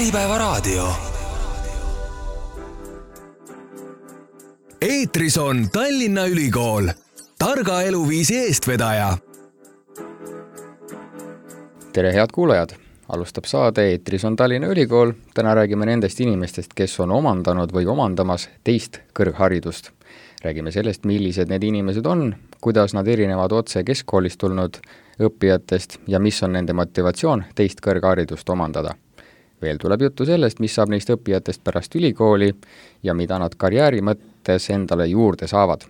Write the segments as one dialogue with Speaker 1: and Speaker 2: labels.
Speaker 1: Äripäevaraadio. Eetris on Tallinna Ülikool, targa eluviisi eestvedaja.
Speaker 2: Tere head kuulajad! Alustab saade Eetris on Tallinna Ülikool. Täna räägime nendest inimestest, kes on omandanud või omandamas teist kõrgharidust. Räägime sellest, millised need inimesed on, kuidas nad erinevad otse keskkoolist tulnud õppijatest ja mis on nende motivatsioon teist kõrgharidust omandada. Veel tuleb juttu sellest, mis saab neist õppijatest pärast ülikooli ja mida nad karjääri mõttes endale juurde saavad.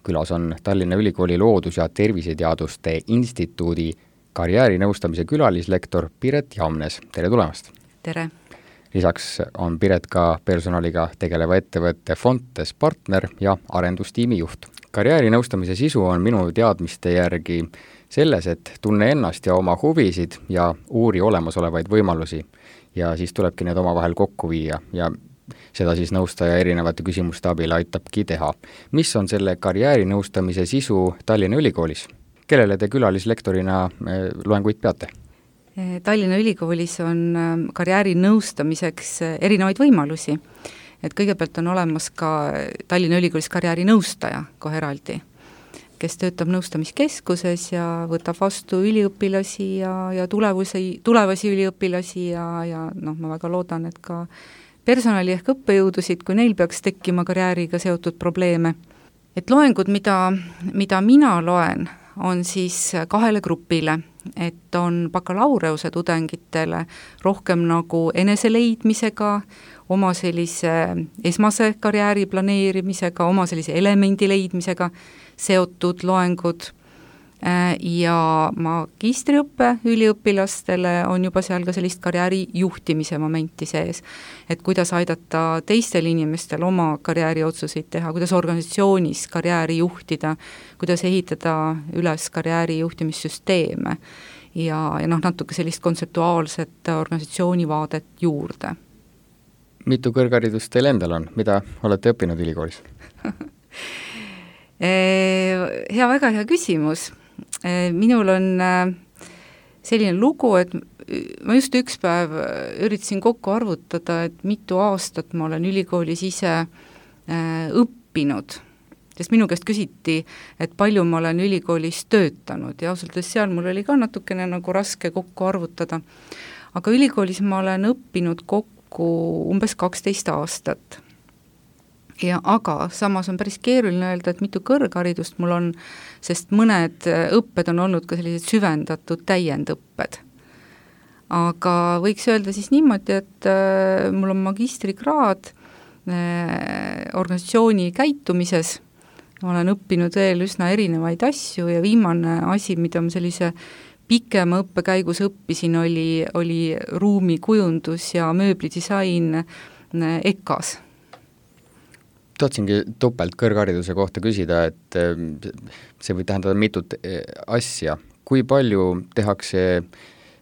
Speaker 2: Külas on Tallinna Ülikooli Loodus- ja Terviseteaduste Instituudi karjäärinõustamise külalislektor Piret Jamnes. Tere tulemast!
Speaker 3: Tere!
Speaker 2: Lisaks on Piret ka personaliga tegeleva ettevõtte Fontes partner ja arendustiimi juht. Karjäärinõustamise sisu on minu teadmiste järgi selles, et tunne ennast ja oma huvisid ja uuri olemasolevaid võimalusi ja siis tulebki need omavahel kokku viia ja seda siis nõustaja erinevate küsimuste abil aitabki teha. Mis on selle karjäärinõustamise sisu Tallinna Ülikoolis? Kellele te külalislektorina loenguid peate?
Speaker 3: Tallinna Ülikoolis on karjäärinõustamiseks erinevaid võimalusi. Et kõigepealt on olemas ka Tallinna Ülikoolis karjäärinõustaja kohe eraldi, kes töötab nõustamiskeskuses ja võtab vastu üliõpilasi ja tulevasi üliõpilasi ja ma väga loodan, et ka personali ehk õppejõudusid, kui neil peaks tekkima karjääriga seotud probleeme. Et loengud, mida mina loen, on siis kahele grupile, et on bakalaureuse tudengitele rohkem nagu eneseleidmisega, oma sellise esmase karjääri planeerimisega, oma sellise elemendi leidmisega seotud loengud ja magistriõppe üliõpilastele on juba seal ka sellist karjääri juhtimise momenti sees, et kuidas aidata teistel inimestel oma karjääri otsuseid teha, kuidas organisatsioonis karjääri juhtida, kuidas ehitada üles karjääri juhtimissüsteeme ja natuke sellist kontseptuaalset organisatsioonivaadet juurde.
Speaker 2: Mitu kõrgharidust teil endal on? Mida olete õppinud ülikoolis?
Speaker 3: Väga hea küsimus. Minul on selline lugu, et ma just üks päev üritasin kokku arvutada, et mitu aastat ma olen ülikoolis ise õppinud, sest minu käest küsiti, et palju ma olen ülikoolis töötanud ja ausalt seal mul oli ka natukene nagu raske kokku arvutada. Aga ülikoolis ma olen õppinud kokku umbes 12 aastat. Aga samas on päris keeruline öelda, et mitu kõrgharidust mul on, sest mõned õpped on olnud ka sellised süvendatud täiendõpped. Aga võiks öelda siis niimoodi, et mul on magistrikraad organisatsiooni käitumises, olen õppinud veel üsna erinevaid asju ja viimane asi, mida ma sellise pikema õppekäigus õppisin, oli ruumikujundus ja mööblidisain EKAs.
Speaker 2: Tahtsingi topelt kõrghariduse kohta küsida, et see võib tähendada mitut asja. Kui palju tehakse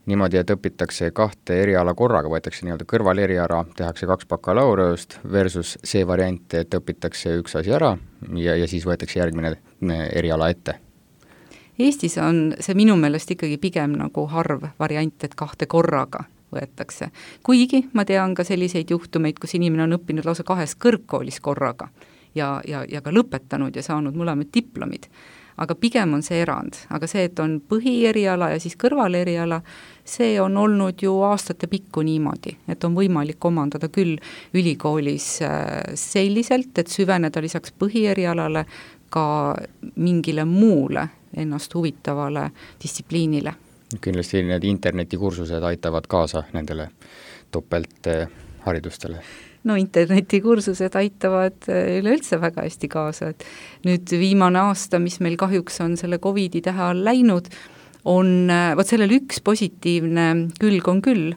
Speaker 2: niimoodi, et õpitakse kahte eriala korraga, võetakse nii-öelda kõrvaleriala, tehakse 2 bakalaureust versus see variant, et õpitakse üks asi ära ja siis võetakse järgmine eriala ette?
Speaker 3: Eestis on see minu meelest ikkagi pigem nagu harv variant, et 2 korraga võetakse. Kuigi ma tean ka selliseid juhtumeid, kus inimene on õppinud lausa 2 kõrgkoolis korraga ja ka lõpetanud ja saanud mõlemad diplomid. Aga pigem on see erand. Aga see, et on põhieriala ja siis kõrvaleriala, see on olnud ju aastate pikku niimoodi, et on võimalik omandada küll ülikoolis selliselt, et süveneda lisaks põhierialale ka mingile muule ennast huvitavale distsipliinile.
Speaker 2: Kindlasti need internetikursused aitavad kaasa nendele topeltharidustele.
Speaker 3: No internetikursused aitavad üleüldse väga hästi kaasa. Et nüüd viimane aasta, mis meil kahjuks on selle COVID-i tähe all läinud, on, sellel üks positiivne külg on küll,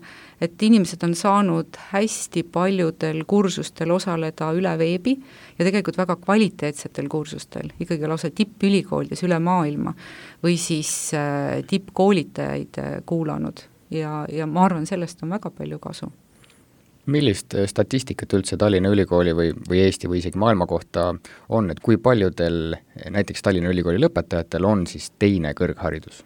Speaker 3: et inimesed on saanud hästi paljudel kursustel osaleda üle veebi ja tegelikult väga kvaliteetsetel kursustel, ikkagi lausa tippülikoolides üle maailma või siis tippkoolitajaid kuulanud ja ma arvan, sellest on väga palju kasu.
Speaker 2: Millist statistikat üldse Tallinna Ülikooli või Eesti või isegi maailma kohta on, et kui paljudel näiteks Tallinna Ülikooli lõpetajatel on siis teine kõrgharidus?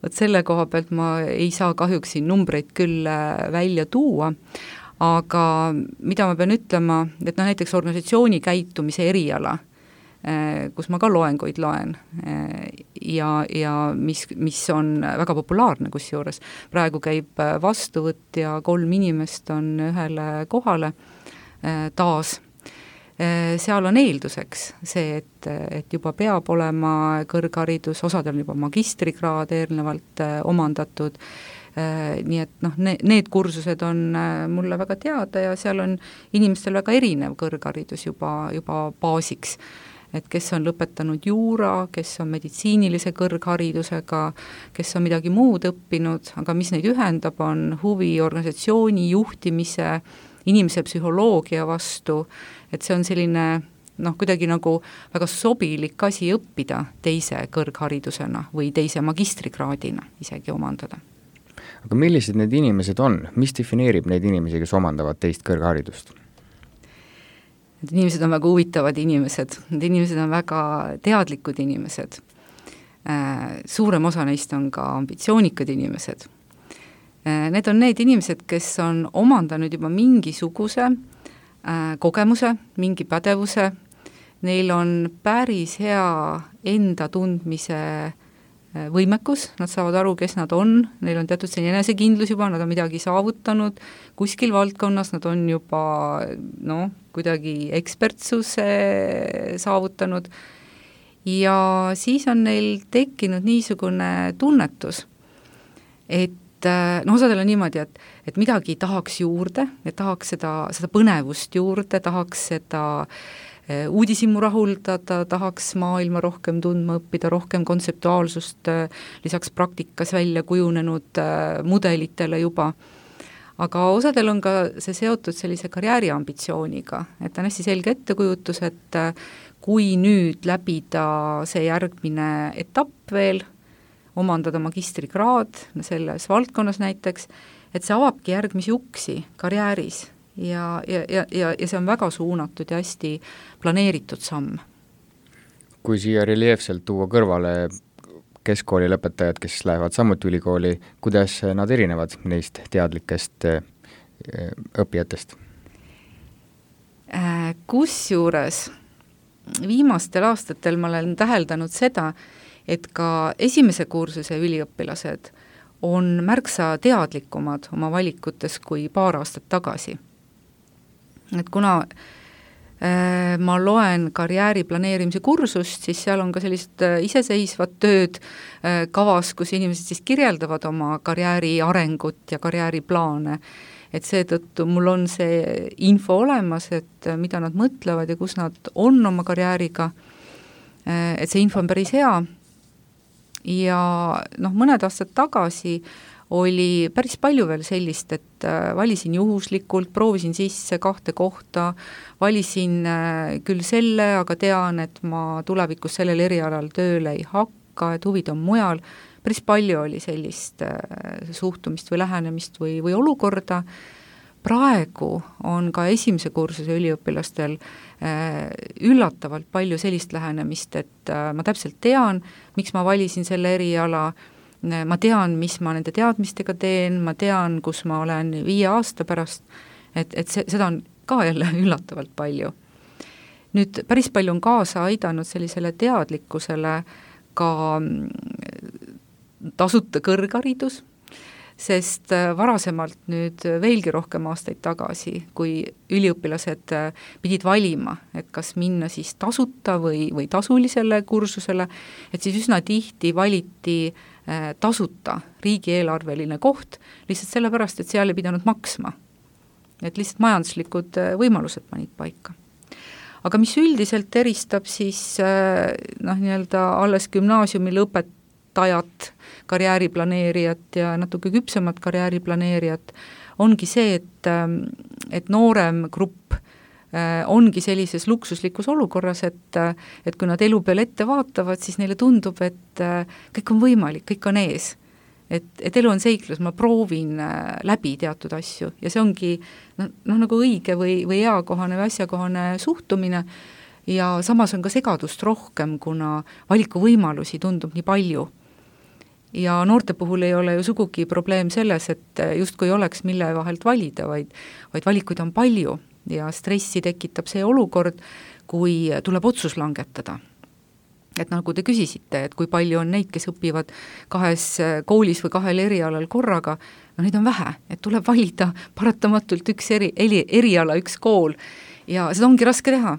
Speaker 3: vot selle koha pealt ma ei saa kahjuks siin numbreid küll välja tuua, aga mida ma pean ütlema, et näiteks organisatsiooni käitumise eriala, kus ma ka loenguid loen ja mis on väga populaarne kusjuures. Praegu käib vastuvõtt ja 3 inimest on ühele kohale taas. Seal on eelduseks see, et juba peab olema kõrgharidus, osadel on juba magistrikraad eelnevalt omandatud, nii et need kursused on mulle väga teada ja seal on inimestel väga erinev kõrgharidus juba baasiks. Et kes on lõpetanud juura, kes on meditsiinilise kõrgharidusega, kes on midagi muud õppinud, aga mis neid ühendab, on huvi organisatsiooni juhtimise, inimese psühholoogia vastu, et see on selline kuidagi nagu väga sobilik asi õppida teise kõrgharidusena või teise magistrikraadina isegi omandada.
Speaker 2: Aga millised need inimesed on? Mis defineerib neid inimesi, kes omandavad teist kõrgharidust?
Speaker 3: Need inimesed on väga huvitavad inimesed, need inimesed on väga teadlikud inimesed. Suurem osa neist on ka ambitsioonikad inimesed. Need on need inimesed, kes on omandanud juba mingisuguse kogemuse, mingi pädevuse, neil on päris hea enda tundmise võimekus, nad saavad aru, kes nad on, neil on teatud selline enesekindlus juba, nad on midagi saavutanud, kuskil valdkonnas nad on juba kuidagi ekspertsuse saavutanud ja siis on neil tekkinud niisugune tunnetus, et osadel on niimoodi, et midagi tahaks juurde, et tahaks seda põnevust juurde, tahaks seda uudishimu rahuldada, tahaks maailma rohkem tundma õppida, rohkem kontseptuaalsust lisaks praktikas välja kujunenud mudelitele juba. Aga osadel on ka see seotud sellise karjääriambitsiooniga, et on hästi selge ettekujutus, et kui nüüd läbida see järgmine etapp veel, omandada magistrikraad selles valdkonnas näiteks, et see avabki järgmisi uksi karjääris ja see on väga suunatud ja hästi planeeritud samm.
Speaker 2: Kui siia reljeefselt tuua kõrvale keskkooli lõpetajad, kes lähevad samuti ülikooli, kuidas nad erinevad neist teadlikest õppijatest?
Speaker 3: Kusjuures viimastel aastatel ma olen täheldanud seda, et ka esimese kursuse üliõpilased on märksa teadlikumad oma valikutes kui paar aastat tagasi. Et kuna ma loen karjääri planeerimise kursust, siis seal on ka sellist iseseisvat tööd kavas, kus inimesed siis kirjeldavad oma karjääri arengut ja karjääriplaane. Et seetõttu mul on see info olemas, et mida nad mõtlevad ja kus nad on oma karjääriga, et see info on päris hea. Ja mõned aastad tagasi oli päris palju veel sellist, et valisin juhuslikult, proovisin sisse 2 kohta, valisin küll selle, aga tean, et ma tulevikus sellel erialal tööle ei hakka, et huvid on mujal. Päris palju oli sellist suhtumist või lähenemist või olukorda. Praegu on ka esimese kursuse üliõpilastel üllatavalt palju sellist lähenemist, et ma täpselt tean, miks ma valisin selle eriala, ma tean, mis ma nende teadmistega teen, ma tean, kus ma olen 5 aasta pärast, et seda on ka jälle üllatavalt palju. Nüüd päris palju on kaasa aidanud sellisele teadlikkusele ka tasuta kõrgharidus, sest varasemalt nüüd veelgi rohkem aastaid tagasi, kui üliõpilased pidid valima, et kas minna siis tasuta või tasulisele kursusele, et siis üsna tihti valiti tasuta riigieelarveline koht, lihtsalt sellepärast, et seal ei pidanud maksma. Et lihtsalt majanduslikud võimalused panid paika. Aga mis üldiselt eristab siis nii-öelda alles gümnaasiumi lõpetajat, karjääriplaneerijat ja natuke küpsemat karjääriplaneerijat, ongi see, et noorem grupp ongi sellises luksuslikus olukorras, et kui nad elu peale ette vaatavad, siis neile tundub, et kõik on võimalik, kõik on ees. Et elu on seiklus, ma proovin läbi teatud asju ja see ongi nagu õige või eakohane või asjakohane suhtumine ja samas on ka segadust rohkem, kuna valikuvõimalusi tundub nii palju. ja noorte puhul ei ole ju sugugi probleem selles, et justkui oleks mille vahelt valida, vaid valikuid on palju ja stressi tekitab see olukord, kui tuleb otsus langetada. Et nagu te küsisite, et kui palju on neid, kes õpivad 2 koolis või 2 erialal korraga, no neid on vähe, et tuleb valida paratamatult üks eriala, üks kool ja seda ongi raske teha.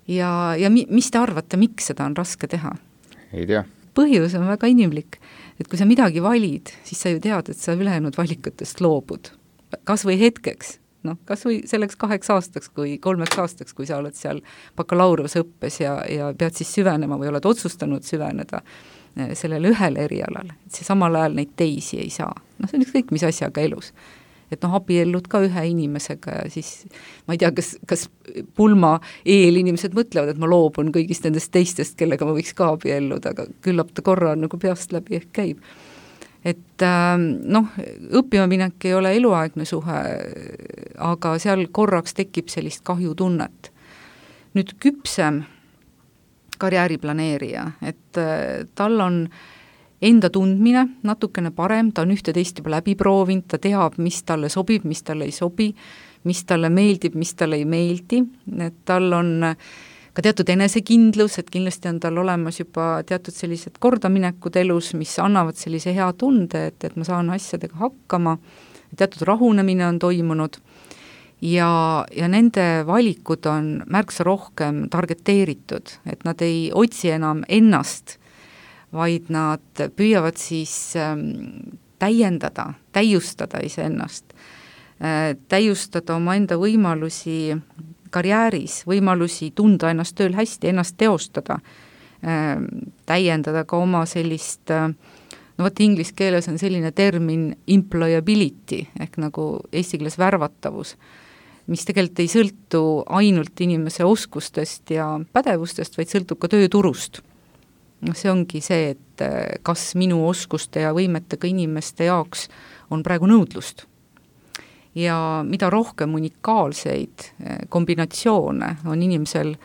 Speaker 3: Ja mis te arvate, miks seda on raske teha?
Speaker 2: Ei tea.
Speaker 3: Põhjus on väga inimlik, et kui sa midagi valid, siis sa ju tead, et sa ülejäänud valikutest loobud. Kas või hetkeks, kas või selleks 8 aastaks kui 3 aastaks, kui sa oled seal bakalaureuseõppes ja pead siis süvenema või oled otsustanud süveneda sellele ühele erialale, et see samal ajal neid teisi ei saa. See on ükskõik mis asjaga elus. Et abiellud ka ühe inimesega ja siis ma ei tea, kas pulma eel inimesed mõtlevad, et ma loobun kõigist nendest teistest, kellega ma võiks ka abielluda, aga küllap ta korra nagu peast läbi ehk käib. Et õppima minek ei ole eluaegne suhe, aga seal korraks tekib sellist kahjutunnet. Nüüd küpsem karjääriplaneerija, et tal on enda tundmine natukene parem, ta on ühte-teist juba läbi proovinud, ta teab, mis talle sobib, mis talle ei sobi, mis talle meeldib, mis talle ei meeldi, et tal on ka teatud enesekindlus, et kindlasti on tal olemas juba teatud sellised kordaminekud elus, mis annavad sellise hea tunde, et ma saan asjadega hakkama, teatud rahunemine on toimunud ja nende valikud on märksa rohkem targeteeritud, et nad ei otsi enam ennast, vaid nad püüavad siis täiustada iseennast, täiustada oma enda võimalusi karjääris, võimalusi tunda ennast tööl hästi, ennast teostada, täiendada ka oma sellist, inglise keeles on selline termin employability, ehk nagu eesti keeles värvatavus, mis tegelikult ei sõltu ainult inimese oskustest ja pädevustest, vaid sõltub ka tööturust. See ongi see, et kas minu oskuste ja võimetega inimeste jaoks on praegu nõudlust. Ja mida rohkem unikaalseid kombinatsioone on inimesel,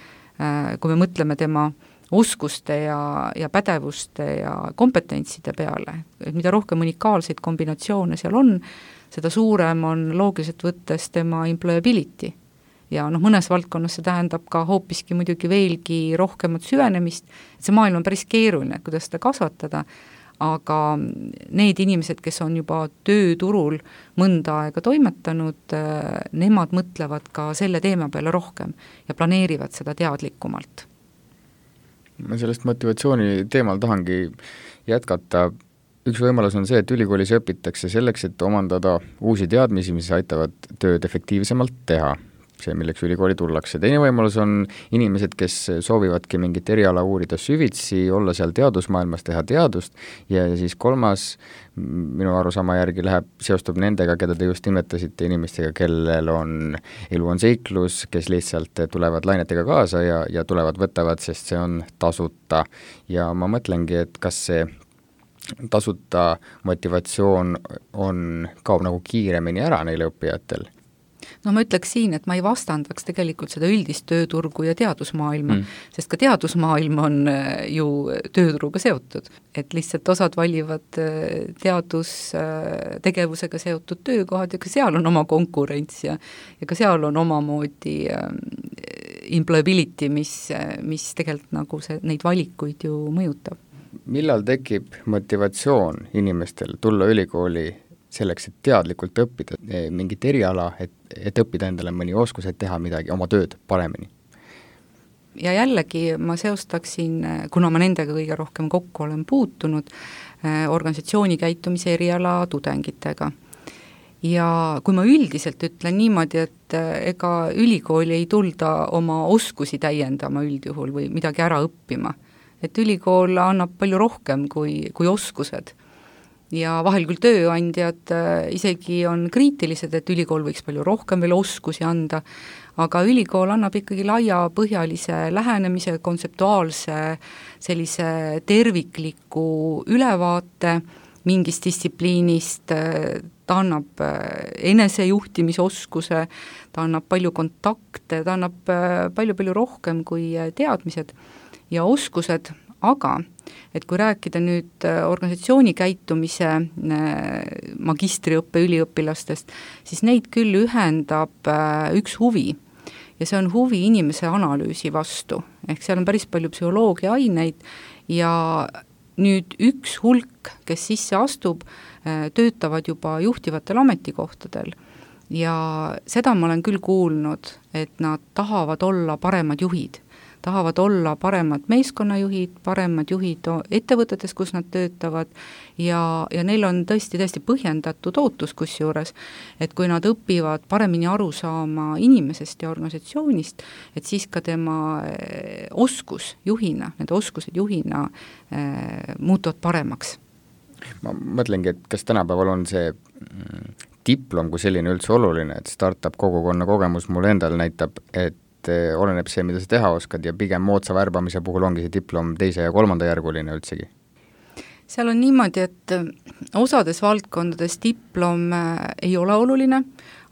Speaker 3: kui me mõtleme tema oskuste ja pädevuste ja kompetentside peale, et mida rohkem unikaalseid kombinatsioone seal on, seda suurem on loogiliselt võttes tema employability. Ja mõnes valdkonnas see tähendab ka hoopiski muidugi veelgi rohkemat süvenemist, et see maailm on päris keeruline, kuidas seda kasvatada, aga need inimesed, kes on juba tööturul mõnda aega toimetanud, nemad mõtlevad ka selle teema peale rohkem ja planeerivad seda teadlikumalt.
Speaker 2: Ma sellest motivatsiooni teemal tahangi jätkata. Üks võimalus on see, et ülikoolis õpitakse selleks, et omandada uusi teadmisi, mis aitavad tööd efektiivsemalt teha. See, milleks ülikooli tullakse. Teine võimalus on inimesed, kes soovivadki mingit eriala uurida süvitsi, olla seal teadusmaailmas, teha teadust ja siis kolmas minu arusaama järgi seostub nendega, keda te just nimetasite, inimestega, kellel elu on seiklus, kes lihtsalt tulevad lainetega kaasa ja tulevad, võtavad, sest see on tasuta. Ja ma mõtlengi, et kas see tasuta motivatsioon kaob nagu kiiremini ära neile õppijatel?
Speaker 3: Ma ütleks siin, et ma ei vastandaks tegelikult seda üldist tööturgu ja teadusmaailma, sest ka teadusmaailm on ju tööturuga seotud, et lihtsalt osad valivad teadustegevusega seotud töökohad ja ka seal on oma konkurents ja ka seal on omamoodi employability, mis tegelikult nagu neid valikuid ju mõjutab.
Speaker 2: Millal tekib motivatsioon inimestel tulla ülikooli selleks, et teadlikult õppida mingit eriala, et õppida endale mõni oskus, et teha midagi, oma tööd paremini?
Speaker 3: Ja jällegi ma seostaksin, kuna ma nendega kõige rohkem kokku olen puutunud, organisatsiooni käitumise eriala tudengitega. Ja kui ma üldiselt ütlen niimoodi, et ega ülikooli ei tulda oma oskusi täiendama üldjuhul või midagi ära õppima, et ülikool annab palju rohkem kui oskused. Ja vahel küll tööandjad isegi on kriitilised, et ülikool võiks palju rohkem veel oskusi anda, aga ülikool annab ikkagi laiapõhjalise lähenemise, kontseptuaalse sellise tervikliku ülevaate mingist distsipliinist, ta annab enesejuhtimisoskuse, ta annab palju kontakte, ta annab palju rohkem kui teadmised ja oskused, aga et kui rääkida nüüd organisatsiooni käitumise magistriõppe üliõpilastest, siis neid küll ühendab üks huvi ja see on huvi inimese analüüsi vastu, ehk seal on päris palju psühholoogia aineid ja nüüd üks hulk, kes sisse astub, töötavad juba juhtivatel ametikohtadel ja seda ma olen küll kuulnud, et nad tahavad olla paremad juhid, tahavad olla paremad meeskonnajuhid, paremad juhid ettevõtetes, kus nad töötavad ja neil on tõesti põhjendatud ootus kusjuures, et kui nad õpivad paremini aru saama inimesest ja organisatsioonist, et siis ka tema oskus juhina, need oskused juhina muutuvad paremaks.
Speaker 2: Ma mõtlengi, et kas tänapäeval on see diplom kui selline üldse oluline, et startup kogukonna kogemus mulle endal näitab, et oleneb see, mida sa teha oskad ja pigem moodsa värbamise puhul ongi see diplom 2. ja 3. järguline üldsegi?
Speaker 3: Seal on niimoodi, et osades valdkondades diplom ei ole oluline,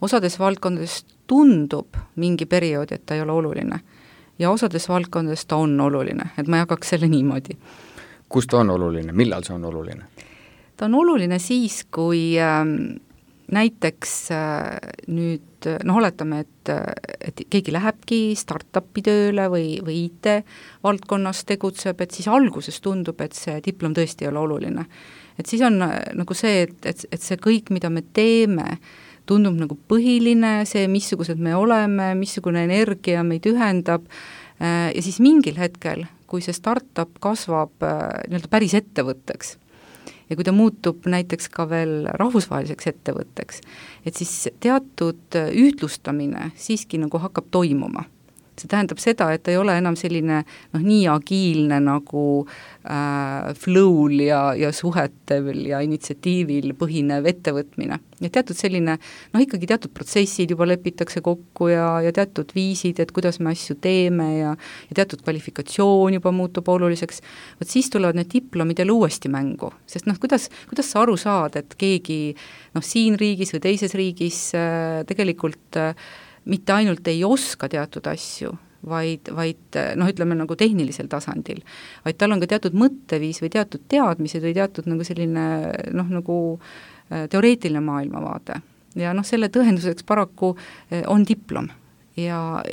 Speaker 3: osades valdkondades tundub mingi periood, et ta ei ole oluline ja osades valdkondades ta on oluline, et ma jagaks selle niimoodi.
Speaker 2: Kus ta on oluline, millal see on oluline?
Speaker 3: Ta on oluline siis, kui näiteks nüüd, oletame, et keegi lähebki startupi tööle või IT-valdkonnas tegutseb, et siis alguses tundub, et see diplom tõesti ei ole oluline. Et siis on nagu see, et see kõik, mida me teeme, tundub nagu põhiline, see, missugused me oleme, missugune energia meid ühendab ja siis mingil hetkel, kui see startup kasvab nii-öelda päris ettevõtteks, ja kui ta muutub näiteks ka veel rahvusvaheliseks ettevõtteks, et siis teatud ühtlustamine siiski nagu hakkab toimuma. See tähendab seda, et ta ei ole enam selline nii agiilne nagu flow'l ja suhetel ja initsiatiivil põhinev ettevõtmine. Ja teatud selline, ikkagi teatud protsessid juba lepitakse kokku ja teatud viisid, et kuidas me asju teeme ja teatud kvalifikatsioon juba muutub oluliseks. Võt siis tulevad need diplomid jälle uuesti mängu, sest kuidas sa aru saad, et keegi siin riigis või teises riigis tegelikult mitte ainult ei oska teatud asju, vaid ütleme nagu tehnilisel tasandil, vaid tal on ka teatud mõtteviis või teatud teadmised või teatud nagu selline nagu teoreetiline maailmavaade. Ja selle tõenduseks paraku on diplom. Ja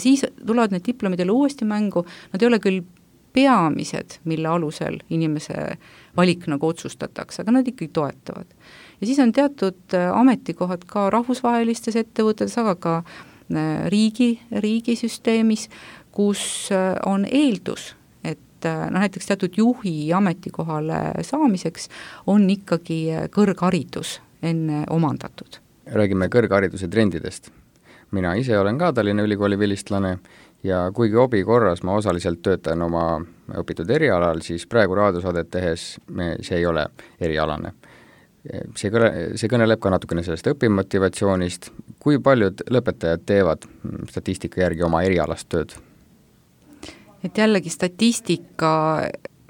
Speaker 3: siis tulevad need diplomid jälle uuesti mängu, nad ei ole küll peamised, mille alusel inimese valik nagu otsustatakse, aga nad ikkagi toetavad. Ja siis on teatud ametikohad ka rahvusvahelistes ettevõtetes, aga ka riigisüsteemis, kus on eeldus, et näiteks teatud juhi ametikohale saamiseks on ikkagi kõrgharidus enne omandatud.
Speaker 2: Räägime kõrghariduse trendidest. Mina ise olen ka Tallinna Ülikooli vilistlane ja kuigi hobi korras ma osaliselt töötan oma õpitud erialal, siis praegu raadiosaadet tehes see ei ole erialane. See kõneleb ka natukene sellest õpimotivatsioonist. Kui paljud lõpetajad teevad statistika järgi oma erialast tööd?
Speaker 3: Et jällegi statistika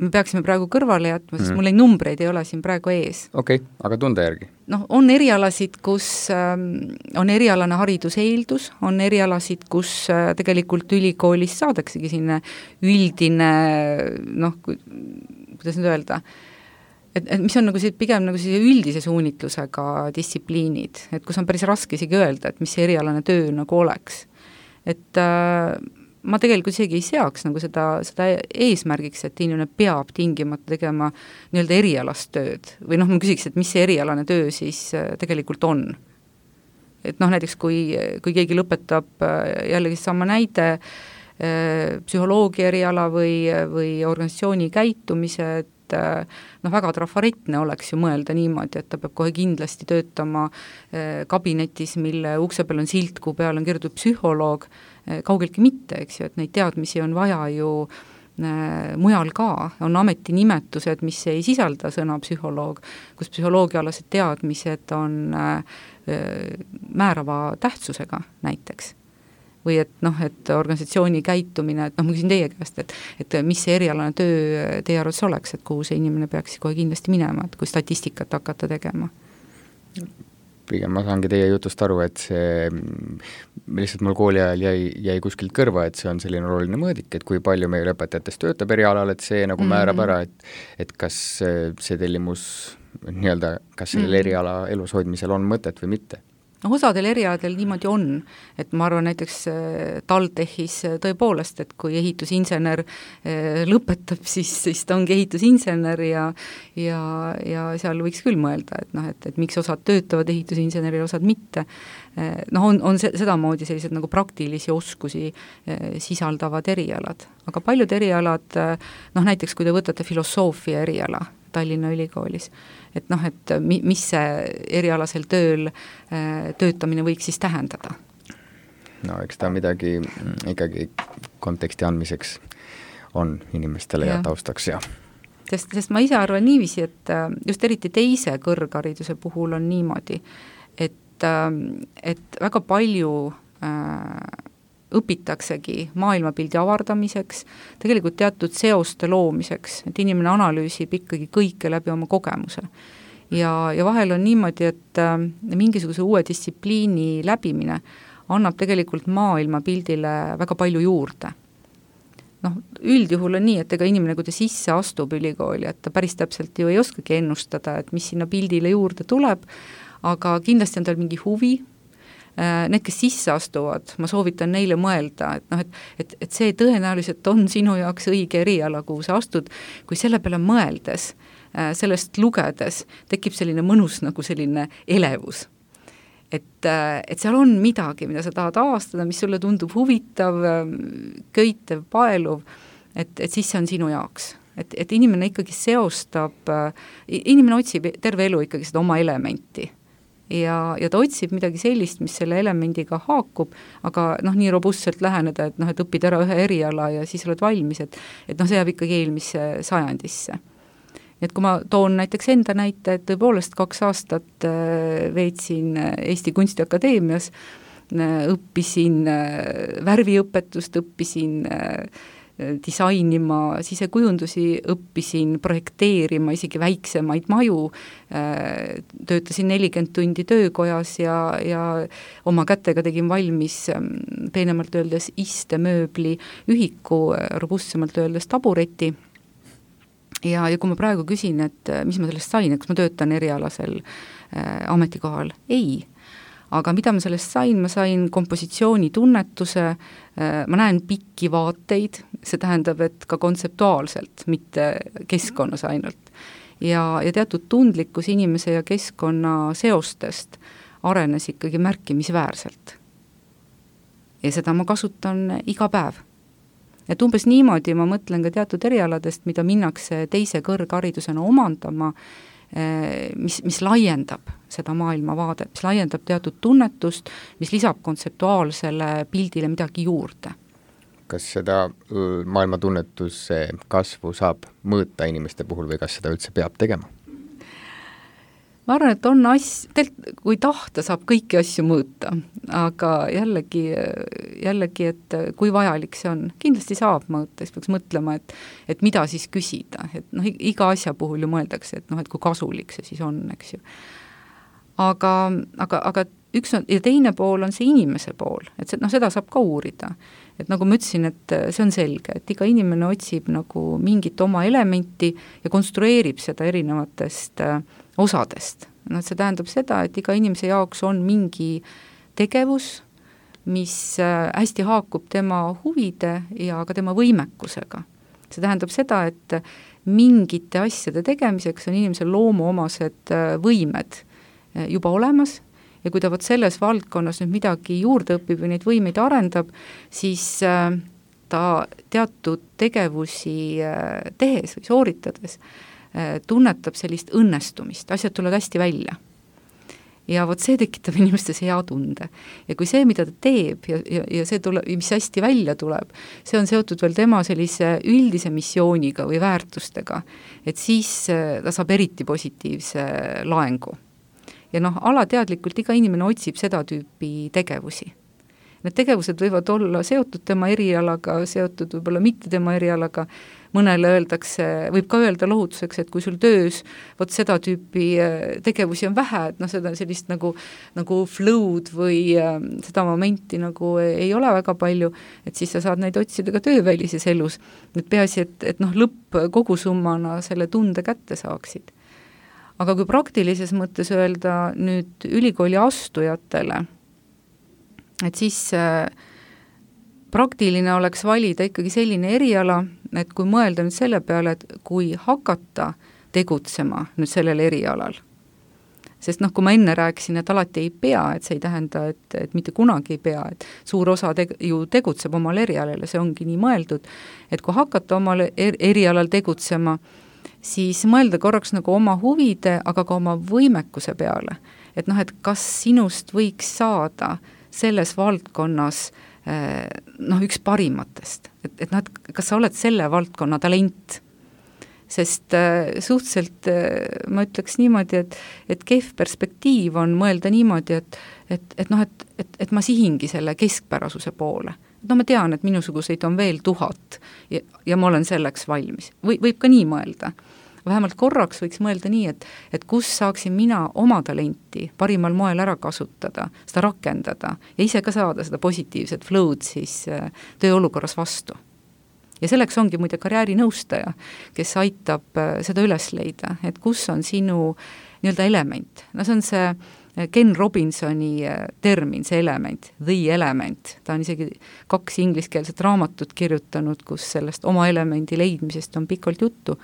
Speaker 3: me peaksime praegu kõrvale jätma, sest mul numbreid ei ole siin praegu ees.
Speaker 2: Okei, aga tunde järgi?
Speaker 3: On erialasid, kus on erialane hariduse eeldus, on erialasid, kus tegelikult ülikoolis saadaksegi sinna üldine, kuidas nüüd öelda, et mis on nagu pigem nagu üldise suunitlusega distsipliinid, et kus on päris raske isegi öelda, et mis see erialane töö nagu oleks. Et ma tegelikult isegi ei seaks nagu seda eesmärgiks, et inimene peab tingimata tegema nii-öelda erialast tööd. Või ma küsiks, et mis see erialane töö siis tegelikult on. Et näiteks kui keegi lõpetab jällegi sama näide, psühholoogia eriala või organisatsiooni käitumise, väga trafaretne oleks ju mõelda niimoodi, et ta peab kohe kindlasti töötama kabinetis, mille ukse peal on silt, kuhu peal on kirjutatud psühholoog, kaugeltki mitte, eks ju, et neid teadmisi on vaja ju mujal ka, on ametinimetused, mis ei sisalda sõna psühholoog, kus psühholoogiaalased teadmised on määrava tähtsusega näiteks. Või et organisatsiooni käitumine, et ma küsin teie käest, et mis see erialane töö teie arvates oleks, et kuhu see inimene peaks kohe kindlasti minema, et kui statistikat hakata tegema?
Speaker 2: pigem ma saangi teie jutust aru, et see lihtsalt mul kooli ajal jäi kuskilt kõrva, et see on selline oluline mõõdik, et kui palju meil õpetajatest töötab erialal, et see nagu määrab ära, et kas see tellimus nii-öelda, kas sellel eriala elus hoidmisel on mõtet või mitte.
Speaker 3: No osadel erialadel niimoodi on, et ma arvan näiteks TalTechis tõepoolest, et kui ehitusinsener lõpetab, siis ta ongi ehitusinsener ja seal võiks küll mõelda, et miks osad töötavad ehitusinseneri, osad mitte. On sedamoodi sellised nagu praktilisi oskusi sisaldavad erialad, aga paljud erialad, näiteks kui te võtate filosoofia eriala Tallinna Ülikoolis, et mis see erialasel tööl töötamine võiks siis tähendada?
Speaker 2: No eks ta midagi ikkagi konteksti andmiseks on inimestele ja taustaks ja.
Speaker 3: Sest ma ise arvan niiviisi, et just eriti teise kõrghariduse puhul on niimoodi, et väga palju õpitaksegi maailmapildi avardamiseks, tegelikult teatud seoste loomiseks, et inimene analüüsib ikkagi kõike läbi oma kogemuse. Ja vahel on niimoodi, et mingisuguse uue distsipliini läbimine annab tegelikult maailmapildile väga palju juurde. Üldjuhul on nii, et ega inimene, kui ta sisse astub ülikooli, et ta päris täpselt ju ei oskagi ennustada, et mis sinna pildile juurde tuleb, aga kindlasti on tal mingi huvi. Need, kes sisse astuvad, ma soovitan neile mõelda, et see tõenäoliselt on sinu jaoks õige eriala, kuhu sa astud, kui selle peale mõeldes, sellest lugedes, tekib selline mõnus nagu selline elevus. Et seal on midagi, mida sa tahad avastada, mis sulle tundub huvitav, köitev, paeluv, et siis see on sinu jaoks. Et inimene ikkagi seostab, inimene otsib terve elu ikkagi seda oma elementi. Ja ta otsib midagi sellist, mis selle elemendiga haakub, aga nii robustselt läheneda, et õpid ära ühe eriala ja siis oled valmis, et see jääb ikkagi eelmisse sajandisse. Et kui ma toon näiteks enda näite, et tõepoolest 2 aastat veetsin Eesti Kunstiakadeemias, õppisin värviõpetust, õppisin disainima sisekujundusi, õppisin projekteerima isegi väiksemaid maju, töötasin 40 tundi töökojas ja oma kätega tegin valmis peenemalt öeldes istemööbli ühiku, robustsemalt öeldes tabureti. Ja kui ma praegu küsin, et mis ma sellest sain, kas ma töötan erialasel ametikohal? Ei. Aga mida ma sellest sain? Ma sain kompositsiooni tunnetuse, ma näen pikki vaateid, see tähendab, et ka kontseptuaalselt, mitte keskkonnas ainult. Ja teatud tundlikkus inimese ja keskkonna seostest arenes ikkagi märkimisväärselt. Ja seda ma kasutan iga päev. Et umbes niimoodi ma mõtlen ka teatud erialadest, mida minnakse teise kõrgharidusena omandama, mis laiendab seda maailmavaadet, mis laiendab teatud tunnetust, mis lisab kontseptuaalsele pildile midagi juurde.
Speaker 2: Kas seda maailmatunnetuse kasvu saab mõõta inimeste puhul või kas seda üldse peab tegema? Ma arvan, et on kui tahta saab kõiki asju mõõta, aga jällegi, et kui vajalik see on, kindlasti saab mõõta, siis peaks mõtlema, et mida siis küsida, et iga asja puhul ju mõeldakse, et kui kasulik see siis on, eks ju. Aga üks on, ja teine pool on see inimese pool, et seda saab ka uurida. Et nagu ma ütlesin, et see on selge, et iga inimene otsib nagu mingit oma elementi ja konstrueerib seda erinevatest osadest. See tähendab seda, et iga inimese jaoks on mingi tegevus, mis hästi haakub tema huvide ja ka tema võimekusega. See tähendab seda, et mingite asjade tegemiseks on inimesel loomuomased võimed juba olemas ja kui ta selles valdkonnas nüüd midagi juurde õpib või neid võimeid arendab, siis ta teatud tegevusi tehes või sooritades tunnetab sellist õnnestumist, asjad tulevad hästi välja. Ja see tekitab inimestes hea tunde. Ja kui see, mida ta teeb ja see tuleb, mis hästi välja tuleb, see on seotud veel tema sellise üldise missiooniga või väärtustega, et siis ta saab eriti positiivse laengu. Ja alateadlikult iga inimene otsib seda tüüpi tegevusi.
Speaker 3: Need tegevused võivad olla seotud tema erialaga, seotud võib-olla mitte tema erialaga, mõnele öeldakse, võib ka öelda lohutuseks, et kui sul töös vot seda tüüpi tegevusi on vähe, et noh, seda sellist nagu flow'd või seda momenti nagu ei ole väga palju, et siis sa saad neid otsida ka töövälises elus. Et peaasi, et noh, lõpp kogusummana selle tunde kätte saaksid. Aga kui praktilises mõttes öelda nüüd ülikooli astujatele, et siis praktiline oleks valida ikkagi selline eriala, et kui mõelda nüüd selle peale, et kui hakata tegutsema nüüd sellel erialal, sest noh, kui ma enne rääkisin, et alati ei pea, et see ei tähenda, et mitte kunagi ei pea, et suur osa ju tegutseb omal erialal ja see ongi nii mõeldud, et kui hakata omal erialal tegutsema, siis mõelda korraks nagu oma huvide, aga ka oma võimekuse peale. Et noh, et kas sinust võiks saada selles valdkonnas noh, üks parimatest, et noh, et kas sa oled selle valdkonna talent, sest suhteliselt ma ütleks niimoodi, et kehv perspektiiv on mõelda niimoodi, et noh, et ma sihingi selle keskpärasuse poole. No ma tean, et minusuguseid on veel 1000 ja ma olen selleks valmis. Võib ka nii mõelda. Vähemalt korraks võiks mõelda nii, et kus saaksin mina oma talenti parimal moel ära kasutada, seda rakendada ja ise ka saada seda positiivset flow'd siis tööolukorras vastu. Ja selleks ongi muide karjäärinõustaja, kes aitab seda üles leida, et kus on sinu nii-öelda element. No see on see Ken Robinsoni termin, see element, the element. Ta on isegi 2 ingliskeelset raamatut kirjutanud, kus sellest oma elemendi leidmisest on pikalt juttu.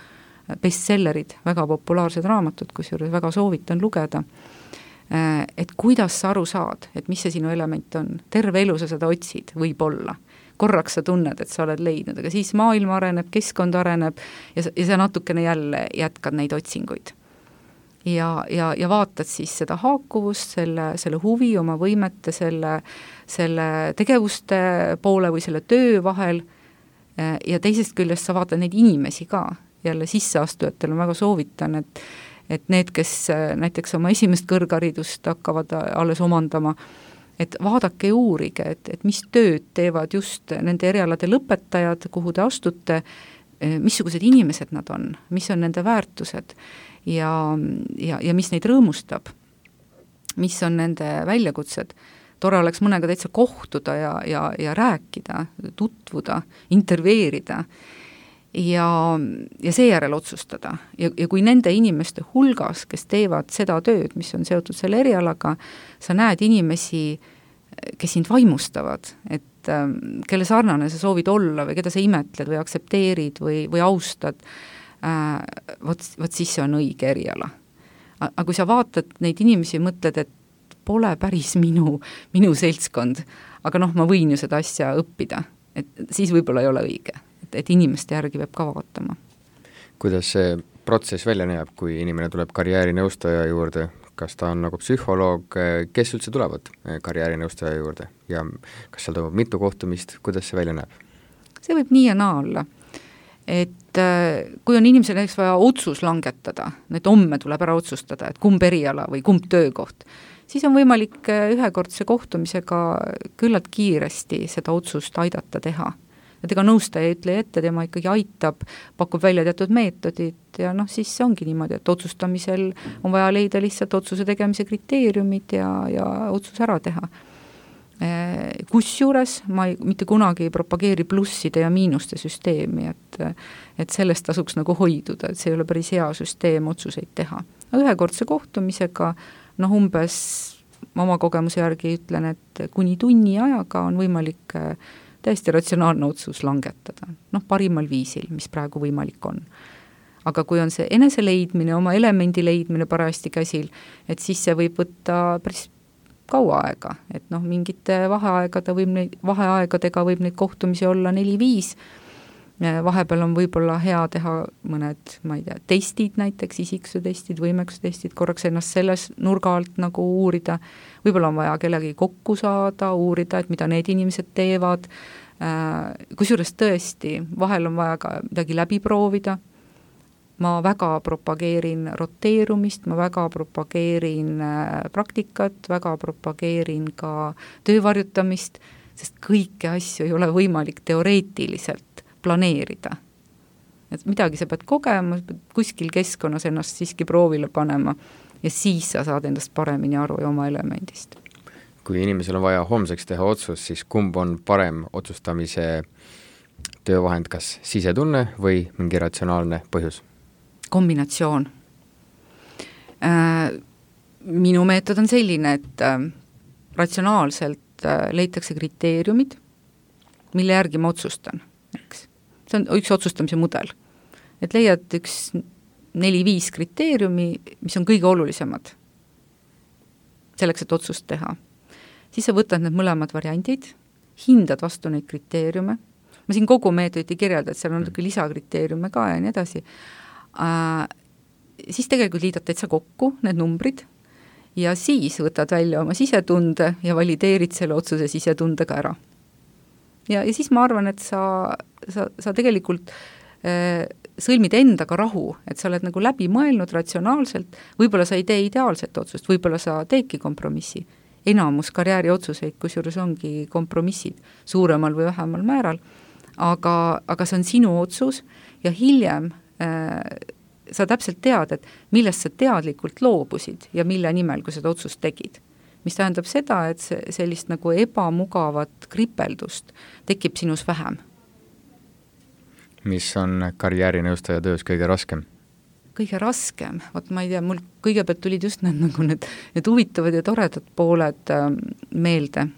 Speaker 3: Bestsellerid, väga populaarsed raamatud, kusjuures väga soovitan lugeda, et kuidas sa aru saad, et mis see sinu element on. Terve elu sa seda otsid, võib-olla. Korraks sa tunned, et sa oled leidnud, aga siis maailm areneb, keskkond areneb ja sa natukene jälle jätkad neid otsinguid. Ja vaatad siis seda haakuvust, selle huvi, oma võimete, selle tegevuste poole või selle töö vahel ja teisest küljest sa vaatad neid inimesi ka. Jälle sisseastujatel on väga soovitan, et need, kes näiteks oma esimest kõrgharidust hakkavad alles omandama, et vaadake ja uurige, et mis tööd teevad just nende erialade lõpetajad, kuhu te astute, missugused inimesed nad on, mis on nende väärtused ja mis neid rõõmustab, mis on nende väljakutsed. Tore oleks mõnega täitsa kohtuda ja rääkida, tutvuda, intervjueerida ja seejärel otsustada. Ja kui nende inimeste hulgas, kes teevad seda tööd, mis on seotud selle erialaga, sa näed inimesi, kes sind vaimustavad, et kelle sarnane sa soovid olla või keda sa imetled või aksepteerid või austad, vot siis see on õige eriala. Aga kui sa vaatad neid inimesi ja mõtled, et pole päris minu seltskond, aga noh, ma võin ju seda asja õppida, et siis võib-olla ei ole õige. Et inimeste järgi peab ka vaatama.
Speaker 2: Kuidas see protsess välja näeb, kui inimene tuleb karjäärinõustaja juurde? Kas ta on nagu psühholoog, kes üldse tulevad karjäärinõustaja juurde ja kas seal toimub mitu kohtumist, kuidas see välja näeb?
Speaker 3: See võib nii ja naa olla. Et kui on inimesel näiteks vaja otsus langetada, et homme tuleb ära otsustada, et kumb eriala või kumb töökoht, siis on võimalik ühekordse kohtumisega küllalt kiiresti seda otsust aidata teha. Et ega nõustaja ei ütle ette, tema ikkagi aitab, pakub välja teatud meetodid ja noh, siis see ongi niimoodi, et otsustamisel on vaja leida lihtsalt otsuse tegemise kriteeriumid ja otsus ära teha. Kusjuures ma mitte kunagi ei propageeri plusside ja miinuste süsteemi, et sellest tasuks nagu hoiduda, et see ei ole päris hea süsteem otsuseid teha. Ühekordse kohtumisega, noh umbes oma kogemuse järgi ütlen, et kuni tunni ajaga on võimalik täiesti ratsionaalne otsus langetada, noh parimal viisil, mis praegu võimalik on. Aga kui on see enese leidmine, oma elemendi leidmine parajasti käsil, et siis see võib võtta päris kaua aega, et noh, mingite vaheaegadega võib neid kohtumisi olla 4-5, vahepeal on võib-olla hea teha mõned, ma ei tea, testid näiteks, isiksuse testid, võimekuse testid, korraks ennast selles nurga alt nagu uurida, võib-olla on vaja kellegi kokku saada, uurida, et mida need inimesed teevad, kusjuures tõesti, vahel on vaja ka midagi läbi proovida, ma väga propageerin roteerumist, ma väga propageerin praktikat, väga propageerin ka töövarjutamist, sest kõiki asju ei ole võimalik teoreetiliselt planeerida. Et midagi sa pead kogema, kuskil keskkonnas ennast siiski proovile panema ja siis sa saad endast paremini aru ja oma elemendist.
Speaker 2: Kui inimesel on vaja homseks teha otsus, siis kumb on parem otsustamise töövahend, kas sisetunne või mingi ratsionaalne põhjus?
Speaker 3: Kombinatsioon. Minu meetod on selline, et ratsionaalselt leitakse kriteeriumid, mille järgi ma otsustan. Eks? See on üks otsustamise mudel. Et leiad üks 4-5 kriteeriumi, mis on kõige olulisemad selleks, et otsust teha. Siis sa võtad need mõlemad variandid, hindad vastu neid kriteeriume. Ma siin kogu meetodit ei kirjelda, et seal on lisakriteeriume ka ja nii edasi. Siis tegelikult liidad täitsa kokku need numbrid ja siis võtad välja oma sisetunde ja valideerid selle otsuse sisetundega ära. Ja siis ma arvan, et sa tegelikult sõlmid endaga rahu, et sa oled nagu läbi mõelnud ratsionaalselt, võib-olla sa ei tee ideaalset otsust, võib-olla sa teedki kompromissi. Enamus karjääri otsuseid, kusjuures ongi kompromissid suuremal või vähemal määral, aga see on sinu otsus ja hiljem sa täpselt tead, et millest sa teadlikult loobusid ja mille nimel, kui seda otsust tegid. Mis tähendab seda, et sellist nagu ebamugavat kripeldust tekib sinus vähem.
Speaker 2: Mis on karjäärinõustaja töös kõige raskem?
Speaker 3: Kõige raskem, ma ei tea, mul kõigepealt tulid just need huvitavad ja toredad pooled meelde.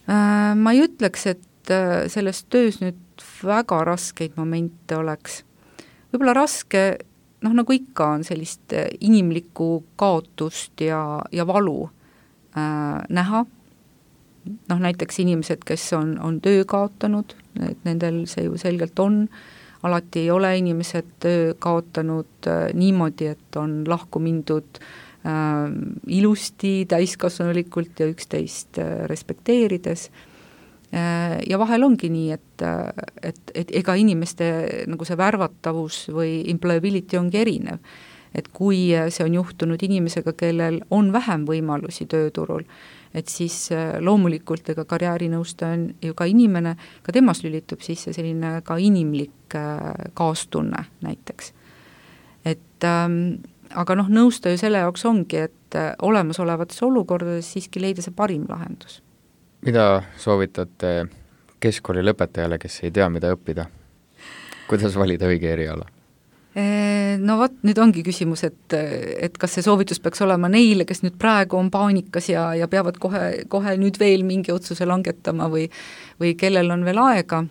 Speaker 3: Ma ei ütleks, et selles töös nüüd väga raskeid momente oleks. Võib-olla raske, nagu ikka on sellist inimlikku kaotust ja valu näha. Näiteks inimesed, kes on töö kaotanud, et nendel see ju selgelt on. Alati ei ole inimesed töö kaotanud niimoodi, et on lahku mindud ilusti, täiskasvanulikult ja üksteist respekteerides. Ja vahel ongi nii, et ega inimeste nagu see värvatavus või employability ongi erinev. Et kui see on juhtunud inimesega, kellel on vähem võimalusi tööturul, et siis loomulikult ega karjäärinõustaja on ju ka inimene, ka temas lülitub sisse selline ka inimlik kaastunne näiteks. Aga nõustaja selle jaoks ongi, et olemasolevates olukordades siiski leida see parim lahendus.
Speaker 2: Mida soovitate keskkooli lõpetajale, kes ei tea, mida õppida? Kuidas valida õige eriala?
Speaker 3: No vot, nüüd ongi küsimus, et kas see soovitus peaks olema neile, kes nüüd praegu on paanikas ja peavad kohe nüüd veel mingi otsuse langetama või kellel on veel aega.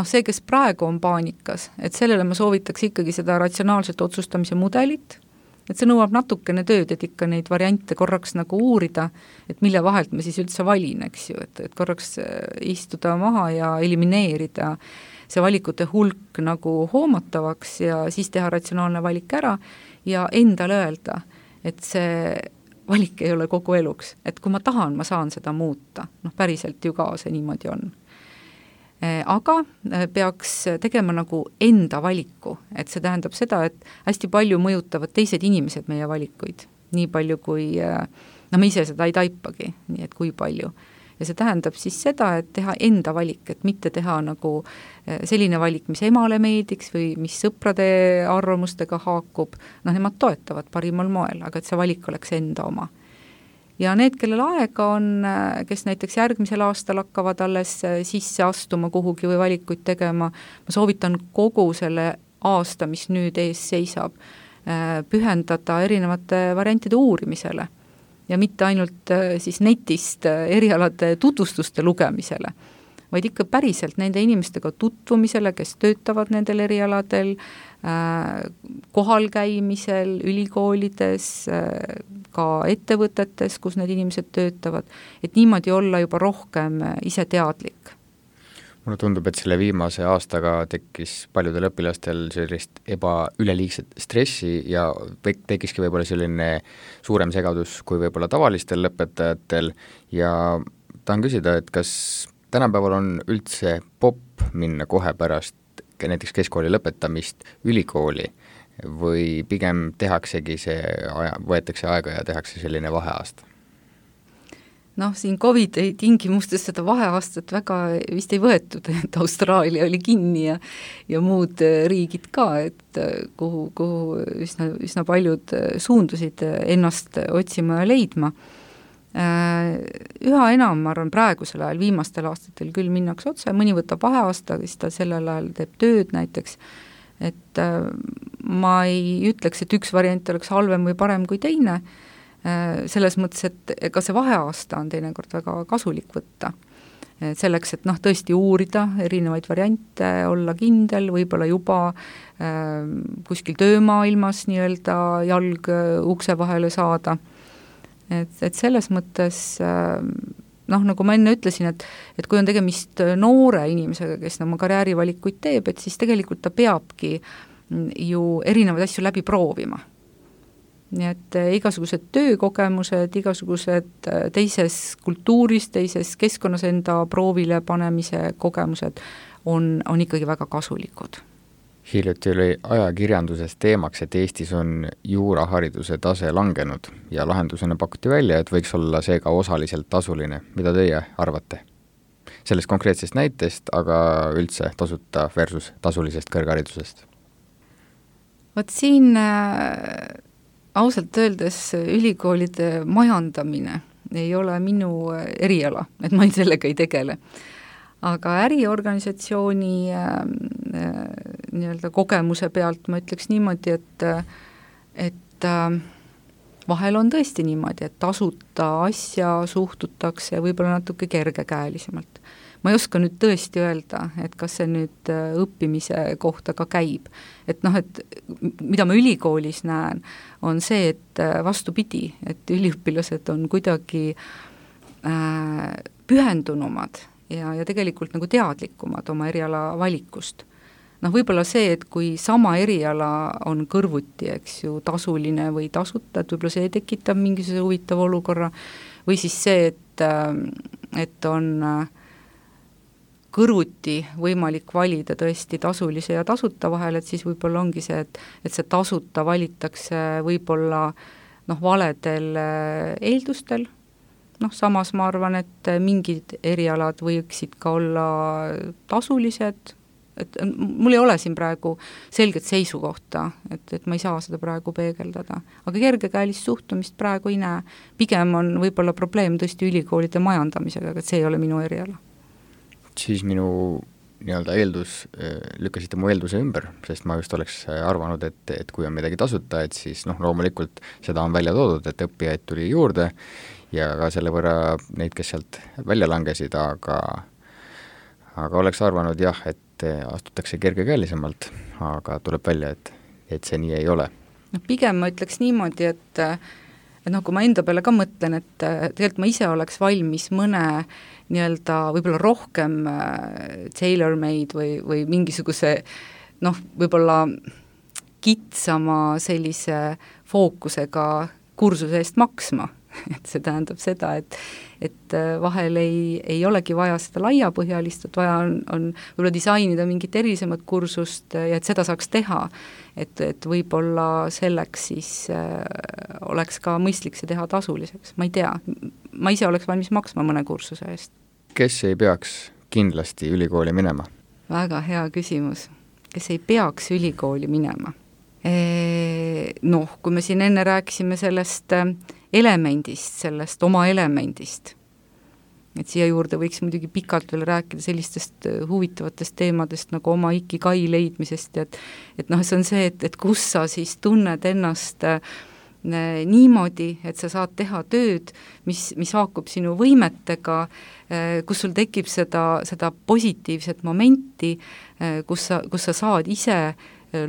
Speaker 3: See, kes praegu on paanikas, et sellele ma soovitaks ikkagi seda ratsionaalset otsustamise mudelit, et see nõuab natukene tööd, et ikka neid variante korraks nagu uurida, et mille vahelt ma siis üldse valin, eks ju, et korraks istuda maha ja elimineerida see valikute hulk nagu hoomatavaks ja siis teha ratsionaalne valik ära ja endale öelda, et see valik ei ole kogu eluks, et kui ma tahan, ma saan seda muuta, päriselt ju ka see niimoodi on. Aga peaks tegema nagu enda valiku, et see tähendab seda, et hästi palju mõjutavad teised inimesed meie valikuid, nii palju kui, me ise seda ei taipagi, nii et kui palju. Ja see tähendab siis seda, et teha enda valik, et mitte teha nagu selline valik, mis emale meediks või mis sõprade arvamustega haakub, nemad toetavad parimal moel, aga et see valik oleks enda oma. Ja need, kellel aega on, kes näiteks järgmisel aastal hakkavad alles sisse astuma kuhugi või valikuid tegema, ma soovitan kogu selle aasta, mis nüüd ees seisab, pühendada erinevate variantide uurimisele ja mitte ainult siis netist erialade tutvustuste lugemisele, vaid ikka päriselt nende inimestega tutvumisele, kes töötavad nendel erialadel, kohal käimisel, ülikoolides, ka ettevõtetes, kus need inimesed töötavad, et niimoodi olla juba rohkem ise teadlik.
Speaker 2: Mulle tundub, et selle viimase aastaga tekkis paljudel õpilastel sellist üleliigset stressi ja tekkiski võib-olla selline suurem segadus kui võib-olla tavalistel lõpetajatel ja tahan küsida, et kas tänapäeval on üldse popp minna kohe pärast näiteks keskkooli lõpetamist ülikooli, või pigem tehaksegi võetakse aega ja tehakse selline vaheaasta?
Speaker 3: Noh, siin COVID-i tingimustes seda vaheaastat väga vist ei võetud, et Austraalia oli kinni ja muud riigid ka, et kuhu üsna paljud suundusid ennast otsima ja leidma. Üha enam, ma arvan, praegusel ajal, viimastel aastatel küll minnakse otse, mõni võtab vaheaasta, siis ta sellel ajal teeb tööd näiteks, et ma ei ütleks, et üks variant oleks halvem või parem kui teine, selles mõttes, et ka see vaheaasta on teinekord väga kasulik võtta. Selleks, et tõesti uurida erinevaid variante, olla kindel, võib-olla juba kuskil töömaailmas nii-öelda jalg ukse vahele saada. Et selles mõttes, nagu ma enne ütlesin, et kui on tegemist noore inimesega, kes oma karjäärivalikuid teeb, et siis tegelikult ta peabki ju erinevaid asju läbi proovima. Nii et igasugused töökogemused, igasugused teises kultuuris, teises keskkonnas enda proovile panemise kogemused on ikkagi väga kasulikud.
Speaker 2: Hiljuti oli ajakirjanduses teemaks, et Eestis on juurahariduse tase langenud ja lahendusena pakuti välja, et võiks olla see ka osaliselt tasuline. Mida teie arvate? Sellest konkreetsest näitest, aga üldse tasuta versus tasulisest kõrgharidusest?
Speaker 3: Vot siin ausalt öeldes ülikoolide majandamine ei ole minu eriala, et ma sellega ei tegele. Aga äriorganisatsiooni nii-öelda kogemuse pealt ma ütleks niimoodi, et vahel on tõesti niimoodi, et tasuta asja suhtutakse võib-olla natuke kergekäelisemalt. Ma ei oska nüüd tõesti öelda, et kas see nüüd õppimise kohta ka käib. Et mida ma ülikoolis näen, on see, et vastupidi, et üliõpilased on kuidagi pühendunumad ja tegelikult nagu teadlikumad oma eriala valikust. Võib-olla see, et kui sama eriala on kõrvuti, eks ju, tasuline või tasuta, et võib-olla see tekitab mingisuguse huvitava olukorra, või siis see, et on kõrvuti võimalik valida tõesti tasulise ja tasuta vahel, et siis võib-olla ongi see, et see tasuta valitakse võib-olla valedel eeldustel. Samas ma arvan, et mingid erialad võiksid ka olla tasulised, et mul ei ole siin praegu selget seisukohta, et ma ei saa seda praegu peegeldada. Aga kergekäelist suhtumist praegu ei näe. Pigem on võib-olla probleem tõesti ülikoolide majandamisega, aga see ei ole minu eriala.
Speaker 2: Siis minu lükkasite mu eelduse ümber, sest ma just oleks arvanud, et kui on midagi tasuta, et siis loomulikult seda on välja toodud, et õppijaid tuli juurde ja ka selle võrra neid, kes sealt välja langesid, aga oleks arvanud jah, et astutakse kergekäelisemalt, aga tuleb välja, et see nii ei ole.
Speaker 3: Pigem ma ütleks niimoodi, et kui ma enda peale ka mõtlen, et tegelikult ma ise oleks valmis mõne nii-öelda võib-olla rohkem tailor-made või mingisuguse võib-olla kitsama sellise fookusega kursuse eest maksma. Et see tähendab seda, et vahel ei olegi vaja seda laiapõhjalist, et vaja on võib-olla disainida mingit erilisemat kursust ja et seda saaks teha, et võib-olla selleks siis oleks ka mõistlik see teha tasuliseks, ma ei tea, ma ise oleks valmis maksma mõne kursuse eest.
Speaker 2: Kes ei peaks kindlasti ülikooli minema?
Speaker 3: Väga hea küsimus. Kes ei peaks ülikooli minema? Kui me siin enne rääkisime sellest elemendist, sellest oma elemendist, et siia juurde võiks muidugi pikalt veel rääkida sellistest huvitavatest teemadest nagu oma ikigai leidmisest, et see on see, et kus sa siis tunned ennast niimoodi, et sa saad teha tööd, mis haakub sinu võimetega, kus sul tekib seda positiivset momenti, kus sa saad ise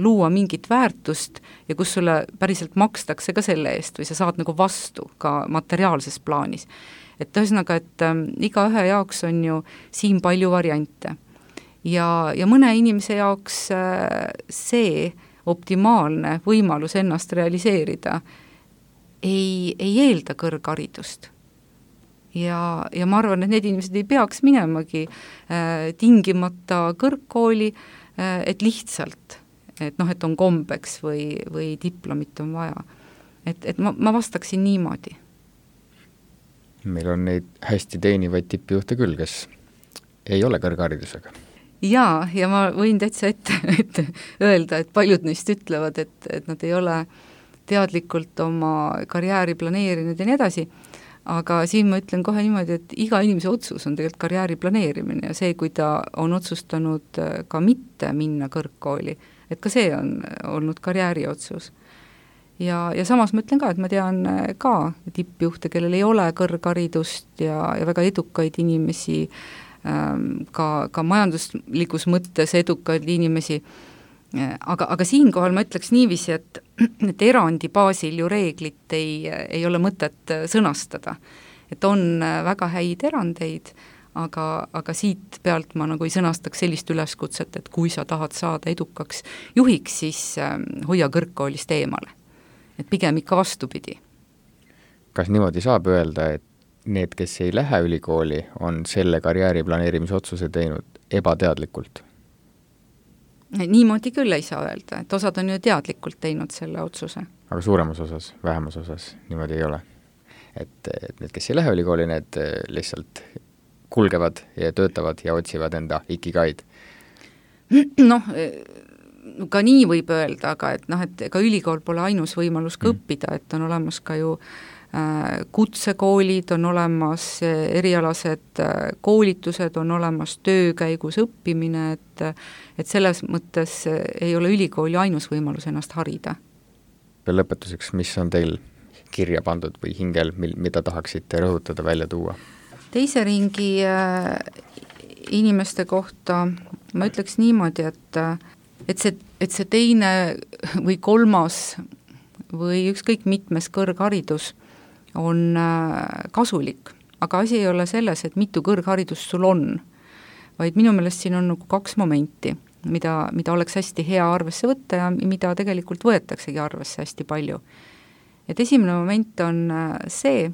Speaker 3: luua mingit väärtust ja kus sulle päriselt makstakse ka selle eest või sa saad nagu vastu ka materiaalses plaanis. Et ühesõnaga, et igaühe jaoks on ju siin palju variante ja mõne inimese jaoks see optimaalne võimalus ennast realiseerida ei eelda kõrgharidust. Ja ma arvan, et need inimesed ei peaks minemagi tingimata kõrgkooli, et lihtsalt et noh, et on kombeks või diplomit on vaja. Et ma vastaksin niimoodi.
Speaker 2: Meil on neid hästi teenivaid tippjuhte küll, kes ei ole kõrgharidusega.
Speaker 3: Ja ma võin täitsa ette öelda, et paljud neist ütlevad, et nad ei ole teadlikult oma karjääri planeerinud ja nii edasi, aga siin ma ütlen kohe niimoodi, et iga inimese otsus on tegelikult karjääri planeerimine ja see, kui ta on otsustanud ka mitte minna kõrgkooli, et ka see on olnud karjääri otsus. Ja samas ma ütlen ka, et ma tean ka tippjuhte, kellel ei ole kõrgharidust ja väga edukaid inimesi, ka majanduslikus mõttes edukaid inimesi, aga siinkohal ma ütleks niiviisi, et erandi baasil ju reeglit ei ole mõtet sõnastada. Et on väga häid erandeid, aga siit pealt ma nagu ei sõnastaks sellist üleskutset, et kui sa tahad saada edukaks juhiks, siis hoia kõrgkoolist eemale. Et pigem ikka vastupidi.
Speaker 2: Kas niimoodi saab öelda, et need, kes ei lähe ülikooli, on selle karjääri planeerimise otsuse teinud ebateadlikult?
Speaker 3: Niimoodi küll ei saa öelda, et osad on ju teadlikult teinud selle otsuse.
Speaker 2: Aga suuremas osas, vähemas osas niimoodi ei ole. Et need, kes ei lähe ülikooli, need lihtsalt kulgevad ja töötavad ja otsivad enda ikigaid.
Speaker 3: Noh, ka nii võib öelda, aga et ega ülikool pole ainus võimalus ka õppida, et on olemas ka ju kutsekoolid, on olemas erialased koolitused, on olemas töö käigus õppimine, et selles mõttes ei ole ülikooli ainus võimalus ennast harida.
Speaker 2: Lõpetuseks, mis on teil kirja pandud või hingel, mida tahaksite rõhutada, välja tuua?
Speaker 3: Teise ringi inimeste kohta ma ütleks niimoodi, et see teine või kolmas või ükskõik mitmes kõrgharidus on kasulik, aga asi ei ole selles, et mitu kõrgharidust sul on, vaid minu meelest siin on nagu kaks momenti, mida oleks hästi hea arvesse võtta ja mida tegelikult võetaksegi arvesse hästi palju. Et esimene moment on see,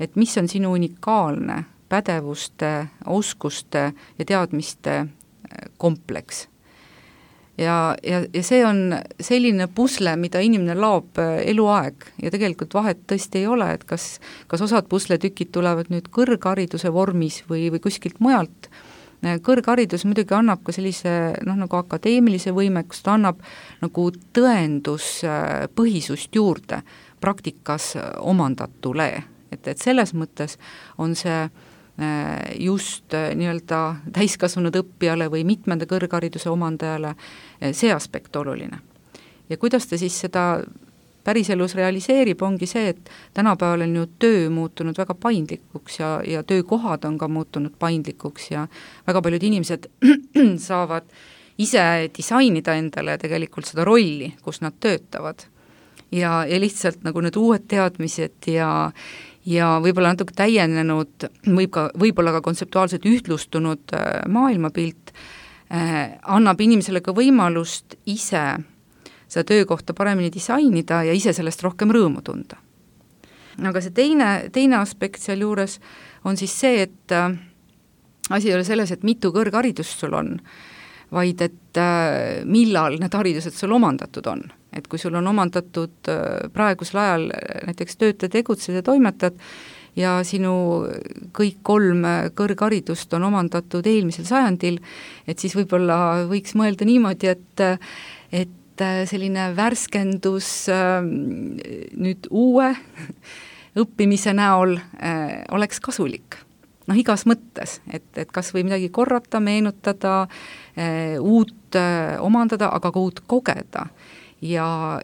Speaker 3: et mis on sinu unikaalne pädevuste, oskuste ja teadmiste kompleks. Ja see on selline pusle, mida inimene laob eluaeg ja tegelikult vahet tõesti ei ole, et kas osad pusletükid tulevad nüüd kõrghariduse vormis või kuskilt mujalt. Kõrgharidus muidugi annab ka sellise nagu akadeemilise võimekust, ta annab nagu tõenduspõhisust juurde praktikas omandatule, et selles mõttes on see just nii-öelda täiskasvanud õppijale või mitmenda kõrghariduse omandajale see aspekt oluline. Ja kuidas ta siis seda päriselus realiseerib, ongi see, et tänapäeval on ju töö muutunud väga paindlikuks ja töökohad on ka muutunud paindlikuks ja väga paljud inimesed saavad ise disainida endale tegelikult seda rolli, kus nad töötavad. Ja lihtsalt nagu need uued teadmised ja võib-olla natuke täienenud, võib-olla ka kontseptuaalselt ühtlustunud maailmapilt annab inimesele ka võimalust ise seda töökohta paremini disainida ja ise sellest rohkem rõõmu tunda. Aga see teine aspekt seal juures on siis see, et asi ei ole selles, et mitu kõrgharidust sul on, vaid et millal need haridused sul omandatud on. Et kui sul on omandatud praegusel ajal näiteks töötajad, tegutsed ja toimetad ja sinu kõik 3 kõrgharidust on omandatud eelmisel sajandil, et siis võib-olla võiks mõelda niimoodi, et selline värskendus nüüd uue õppimise näol oleks kasulik. Igas mõttes, et kas või midagi korrata, meenutada, uut omandada, aga ka uut kogeda ja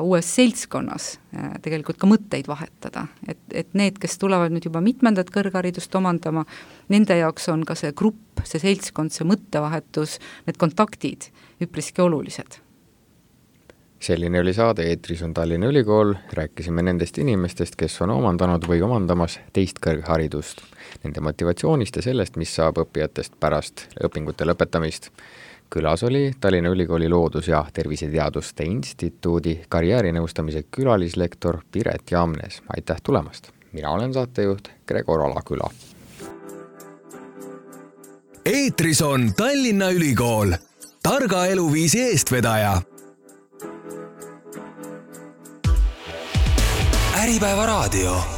Speaker 3: uues seltskonnas tegelikult ka mõtteid vahetada. Et need, kes tulevad nüüd juba mitmendat kõrgharidust omandama, nende jaoks on ka see grupp, see seltskond, see mõttevahetus, need kontaktid üpriski olulised.
Speaker 2: Selline oli saade, eetris on Tallinna Ülikool, rääkisime nendest inimestest, kes on omandanud või omandamas teist kõrgharidust, nende motivatsioonist ja sellest, mis saab õppijatest pärast õpingute lõpetamist. Külas oli Tallinna Ülikooli Loodus- ja Terviseteaduste Instituudi karjäärinõustamise külalislektor Piret Jamnes. Aitäh tulemast! Mina olen saatejuht Gregor Alaküla.
Speaker 1: Eetris on Tallinna Ülikool. targa eluviisi eestvedaja. Äripäeva raadio.